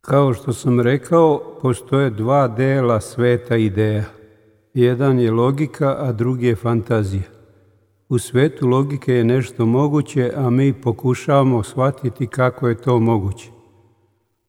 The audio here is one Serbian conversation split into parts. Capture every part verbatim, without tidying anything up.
Kao što sam rekao, postoje dva dela sveta ideja. Jedan je logika, a drugi je fantazija. U svetu logike je nešto moguće, a mi pokušavamo shvatiti kako je to moguće.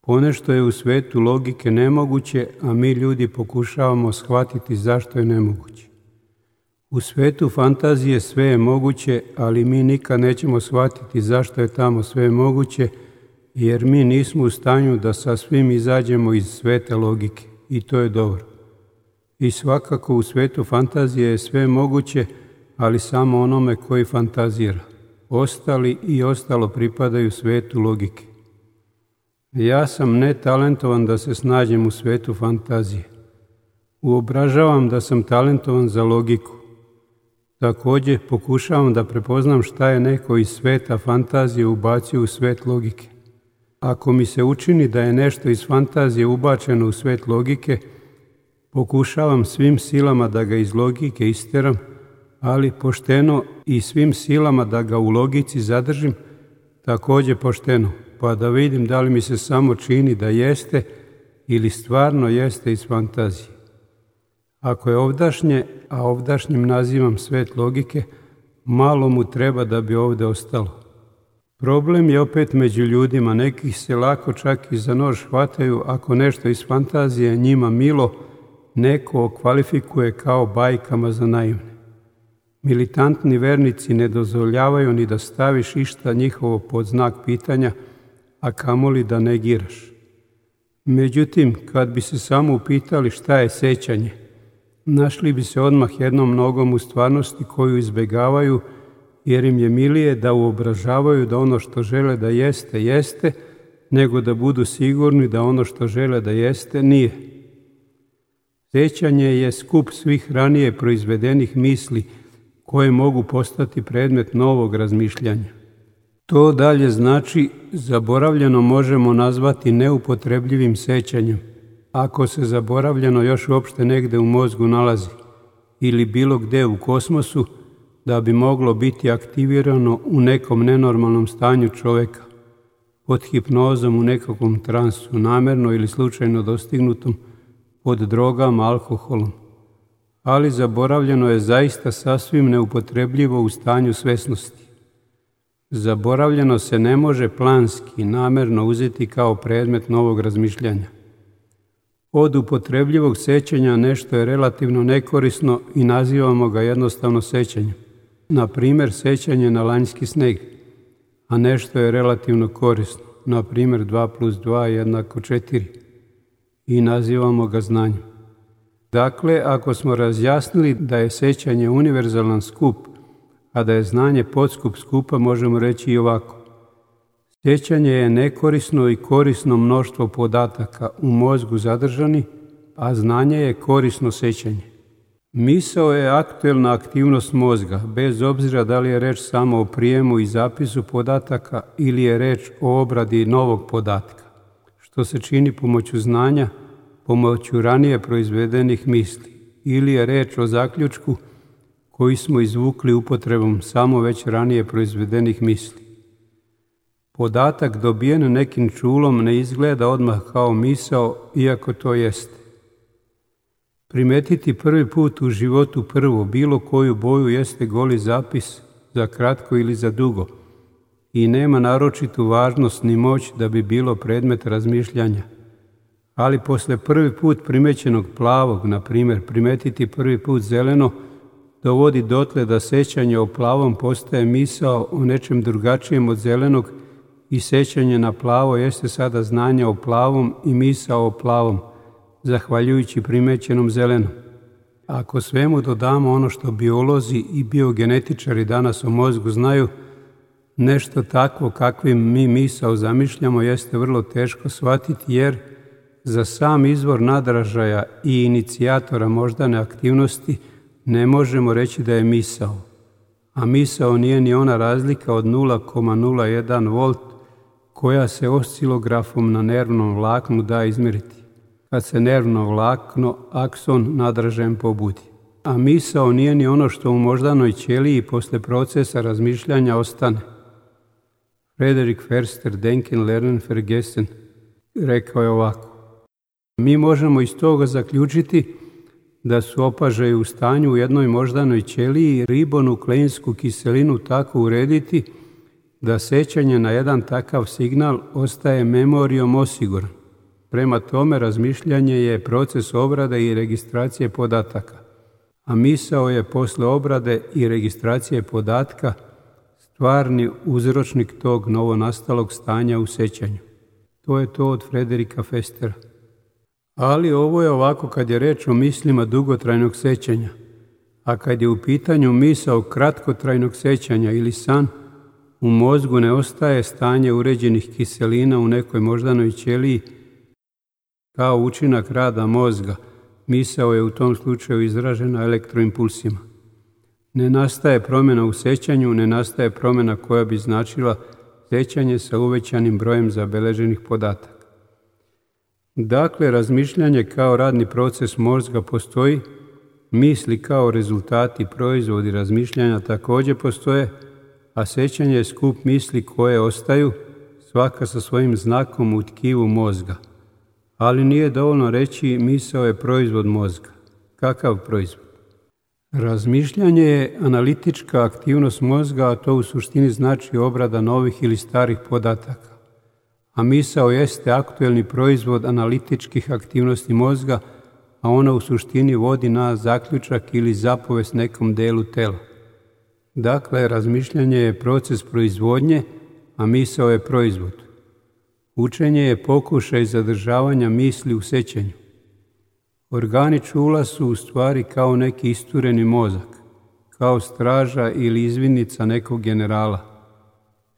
Ponešto je u svetu logike nemoguće, a mi ljudi pokušavamo shvatiti zašto je nemoguće. U svetu fantazije sve je moguće, ali mi nikad nećemo shvatiti zašto je tamo sve moguće, jer mi nismo u stanju da sa svim izađemo iz sveta logike, i to je dobro. I svakako u svetu fantazije je sve moguće, ali samo onome koji fantazira. Ostali i ostalo pripadaju svetu logike. Ja sam netalentovan da se snađem u svetu fantazije. Uobražavam da sam talentovan za logiku. Također pokušavam da prepoznam šta je neko iz sveta fantazije ubacio u svet logike. Ako mi se učini da je nešto iz fantazije ubačeno u svet logike, pokušavam svim silama da ga iz logike isteram, ali pošteno i svim silama da ga u logici zadržim, također pošteno, pa da vidim da li mi se samo čini da jeste ili stvarno jeste iz fantazije. Ako je ovdašnje, a ovdašnjim nazivam svet logike, malo mu treba da bi ovdje ostalo. Problem je opet među ljudima, nekih se lako čak i za nož hvataju ako nešto iz fantazije njima milo neko okvalifikuje kao bajkama za naivne. Militantni vernici ne dozvoljavaju ni da staviš išta njihovo pod znak pitanja, a kamoli da negiraš. Međutim, kad bi se samo upitali šta je sećanje, našli bi se odmah jednom nogom u stvarnosti koju izbjegavaju, jer im je milije da uobražavaju da ono što žele da jeste, jeste, nego da budu sigurni da ono što žele da jeste, nije. Sećanje je skup svih ranije proizvedenih misli koje mogu postati predmet novog razmišljanja. To dalje znači zaboravljeno možemo nazvati neupotrebljivim sećanjem, ako se zaboravljeno još uopšte negde u mozgu nalazi ili bilo gde u kosmosu, da bi moglo biti aktivirano u nekom nenormalnom stanju čoveka, pod hipnozom u nekakvom transu, namerno ili slučajno dostignutom, pod drogama, alkoholom. Ali zaboravljeno je zaista sasvim neupotrebljivo u stanju svesnosti. Zaboravljeno se ne može planski, namerno uzeti kao predmet novog razmišljanja. Od upotrebljivog sećanja nešto je relativno nekorisno i nazivamo ga jednostavno sećanjem. Na primjer, sećanje na lanjski sneg, a nešto je relativno korisno, na primjer dva plus dva jednako četiri, i nazivamo ga znanjem. Dakle, ako smo razjasnili da je sećanje univerzalan skup, a da je znanje podskup skupa, možemo reći i ovako. Sećanje je nekorisno i korisno mnoštvo podataka u mozgu zadržani, a znanje je korisno sećanje. Misao je aktuelna aktivnost mozga, bez obzira da li je reč samo o prijemu i zapisu podataka ili je reč o obradi novog podatka, što se čini pomoću znanja, pomoću ranije proizvedenih misli, ili je reč o zaključku koji smo izvukli upotrebom samo već ranije proizvedenih misli. Podatak dobijen nekim čulom ne izgleda odmah kao misao, iako to jeste. Primetiti prvi put u životu prvo bilo koju boju jeste goli zapis za kratko ili za dugo i nema naročitu važnost ni moć da bi bilo predmet razmišljanja. Ali posle prvi put primećenog plavog, na primjer primetiti prvi put zeleno, dovodi dotle da sećanje o plavom postaje misao o nečem drugačijem od zelenog i sećanje na plavo jeste sada znanje o plavom i misao o plavom, zahvaljujući primećenom zelenom. Ako svemu dodamo ono što biolozi i biogenetičari danas o mozgu znaju, nešto takvo kakvim mi misao zamišljamo jeste vrlo teško shvatiti, jer za sam izvor nadražaja i inicijatora moždane aktivnosti ne možemo reći da je misao. A misao nije ni ona razlika od nula zarez nula jedan volt koja se oscilografom na nervnom vlaknu da izmjeriti, kad se nervno vlakno, akson, nadražajem pobudi. A misao nije ni ono što u moždanoj ćeliji posle procesa razmišljanja ostane. Frederik Förster, Denken, Lernen, Vergessen. rekao je ovako: mi možemo iz toga zaključiti da su opažaji u stanju u jednoj moždanoj ćeliji ribonukleinsku kiselinu tako urediti da sećanje na jedan takav signal ostaje memorijom osiguran. Prema tome, razmišljanje je proces obrade i registracije podataka, a misao je posle obrade i registracije podatka stvarni uzročnik tog novonastalog stanja u sećanju. To je to od Frederika Festera. Ali ovo je ovako kad je reč o mislima dugotrajnog sećanja, a kad je u pitanju misao kratkotrajnog sećanja ili san, u mozgu ne ostaje stanje uređenih kiselina u nekoj moždanoj ćeliji kao učinak rada mozga. Misao je u tom slučaju izražena elektroimpulsima. Ne nastaje promjena u sećanju, ne nastaje promjena koja bi značila sećanje sa uvećanim brojem zabeleženih podataka. Dakle, razmišljanje kao radni proces mozga postoji, misli kao rezultati, proizvodi razmišljanja također postoje, a sećanje je skup misli koje ostaju, svaka sa svojim znakom u tkivu mozga. Ali nije dovoljno reći misao je proizvod mozga. Kakav proizvod? Razmišljanje je analitička aktivnost mozga, a to u suštini znači obrada novih ili starih podataka. A misao jeste aktuelni proizvod analitičkih aktivnosti mozga, a ona u suštini vodi na zaključak ili zapovest nekom delu tela. Dakle, razmišljanje je proces proizvodnje, a misao je proizvod. Učenje je pokušaj zadržavanja misli u sećanju. Organi čula su u stvari kao neki istureni mozak, kao straža ili izvidnica nekog generala.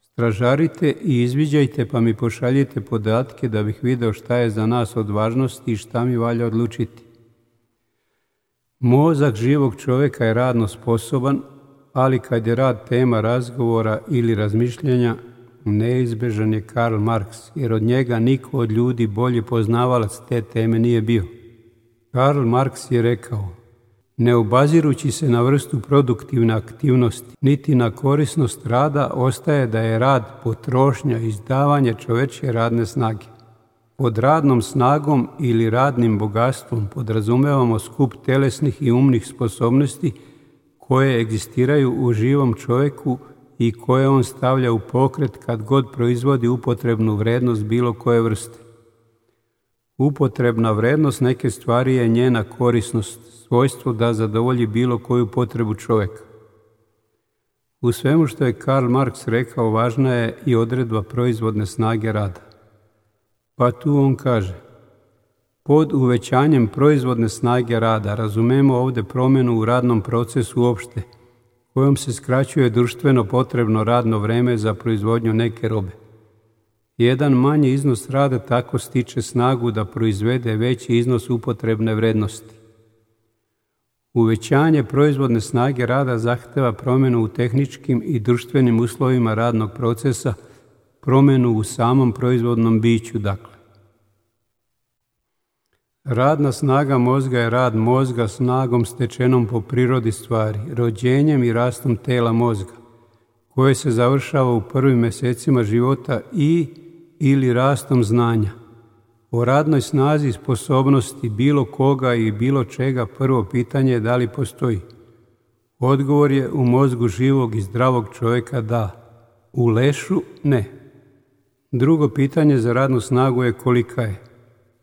Stražarite i izviđajte pa mi pošaljite podatke da bih video šta je za nas od važnosti i šta mi valja odlučiti. Mozak živog čovjeka je radno sposoban, ali kad je rad tema razgovora ili razmišljanja, neizbežan je Karl Marx, jer od njega niko od ljudi bolji poznavalac te teme nije bio. Karl Marx je rekao: ne obazirući se na vrstu produktivne aktivnosti, niti na korisnost rada, ostaje da je rad potrošnja, izdavanje čovečje radne snage. Pod radnom snagom ili radnim bogatstvom podrazumevamo skup telesnih i umnih sposobnosti koje egzistiraju u živom čovjeku i koje on stavlja u pokret kad god proizvodi upotrebnu vrednost bilo koje vrste. Upotrebna vrednost neke stvari je njena korisnost, svojstvo da zadovolji bilo koju potrebu čovjeka. U svemu što je Karl Marx rekao, važna je i odredba proizvodne snage rada. Pa tu on kaže: pod uvećanjem proizvodne snage rada razumemo ovdje promjenu u radnom procesu uopšte, kojom se skraćuje društveno potrebno radno vreme za proizvodnju neke robe. Jedan manji iznos rada tako stiče snagu da proizvede veći iznos upotrebne vrednosti. Uvećanje proizvodne snage rada zahteva promjenu u tehničkim i društvenim uslovima radnog procesa, promjenu u samom proizvodnom biću, dakle. Radna snaga mozga je rad mozga snagom stečenom po prirodi stvari, rođenjem i rastom tela mozga, koje se završava u prvim mjesecima života i ili rastom znanja. O radnoj snazi i sposobnosti bilo koga i bilo čega prvo pitanje je da li postoji. Odgovor je u mozgu živog i zdravog čovjeka da, u lešu ne. Drugo pitanje za radnu snagu je kolika je.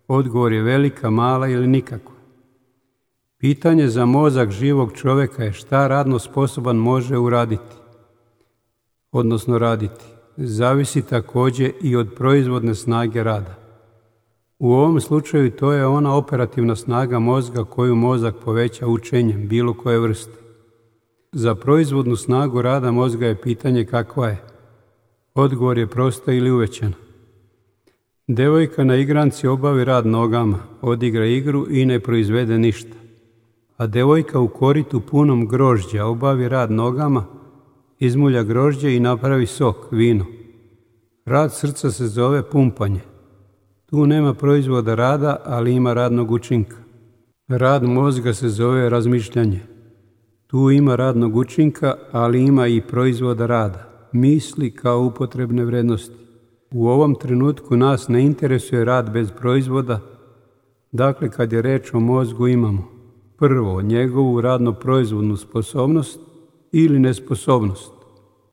Odgovor je velika, mala ili nikakva. Pitanje za mozak živog čovjeka je šta radno sposoban može uraditi, odnosno raditi. Zavisi također i od proizvodne snage rada. U ovom slučaju to je ona operativna snaga mozga koju mozak poveća učenjem bilo koje vrste. Za proizvodnu snagu rada mozga je pitanje kakva je. Odgovor je prosta ili uvećana. Devojka na igranci obavi rad nogama, odigra igru i ne proizvede ništa. A devojka u koritu punom grožđa obavi rad nogama, izmulja grožđe i napravi sok, vino. Rad srca se zove pumpanje. Tu nema proizvoda rada, ali ima radnog učinka. Rad mozga se zove razmišljanje. Tu ima radnog učinka, ali ima i proizvoda rada, misli kao upotrebne vrednosti. U ovom trenutku nas ne interesuje rad bez proizvoda. Dakle, kad je reč o mozgu imamo prvo njegovu radno-proizvodnu sposobnost ili nesposobnost.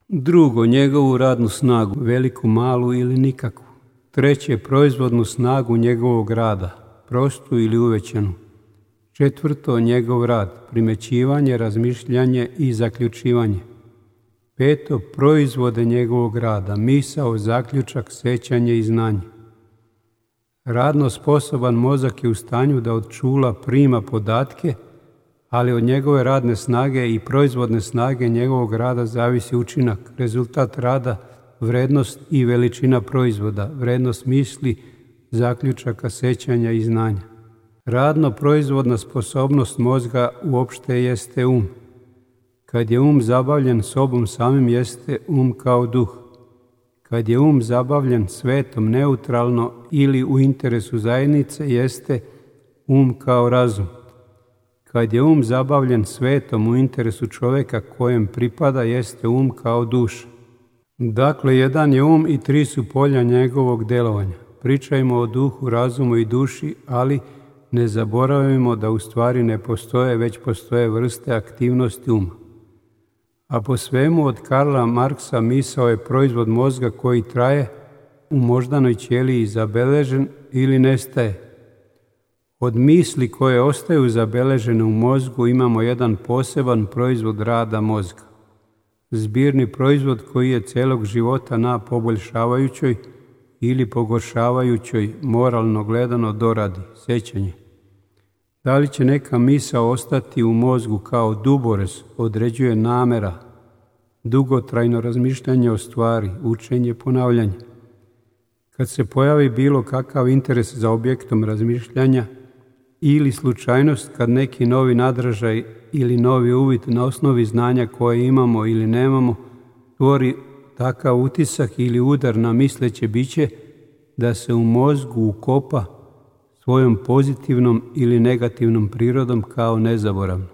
Drugo, njegovu radnu snagu, veliku, malu ili nikakvu. Treće, proizvodnu snagu njegovog rada, prostu ili uvećanu. Četvrto, njegov rad, primećivanje, razmišljanje i zaključivanje. Peto, proizvode njegovog rada, misao, zaključak, sećanje i znanje. Radno sposoban mozak je u stanju da od čula prima podatke, ali od njegove radne snage i proizvodne snage njegovog rada zavisi učinak, rezultat rada, vrednost i veličina proizvoda, vrednost misli, zaključaka, sećanja i znanja. Radno-proizvodna sposobnost mozga uopšte jeste um. Kad je um zabavljen sobom samim jeste um kao duh. Kad je um zabavljen svetom neutralno ili u interesu zajednice jeste um kao razum. Kad je um zabavljen svetom u interesu čoveka kojem pripada jeste um kao duša. Dakle, jedan je um i tri su polja njegovog delovanja. Pričajmo o duhu, razumu i duši, ali ne zaboravimo da u stvari ne postoje, već postoje vrste aktivnosti uma. A po svemu od Karla Marksa misao je proizvod mozga koji traje u moždanoj ćeliji zabeležen ili nestaje. Od misli koje ostaju zabeležene u mozgu imamo jedan poseban proizvod rada mozga. Zbirni proizvod koji je celog života na poboljšavajućoj ili pogoršavajućoj, moralno gledano, doradi, sećanje. Da li će neka misao ostati u mozgu kao duborez, određuje namera, dugotrajno razmišljanje o stvari, učenje, ponavljanje. Kad se pojavi bilo kakav interes za objektom razmišljanja ili slučajnost kad neki novi nadražaj ili novi uvid na osnovi znanja koje imamo ili nemamo tvori takav utisak ili udar na misleće biće da se u mozgu ukopa svojom pozitivnom ili negativnom prirodom kao nezaboravno.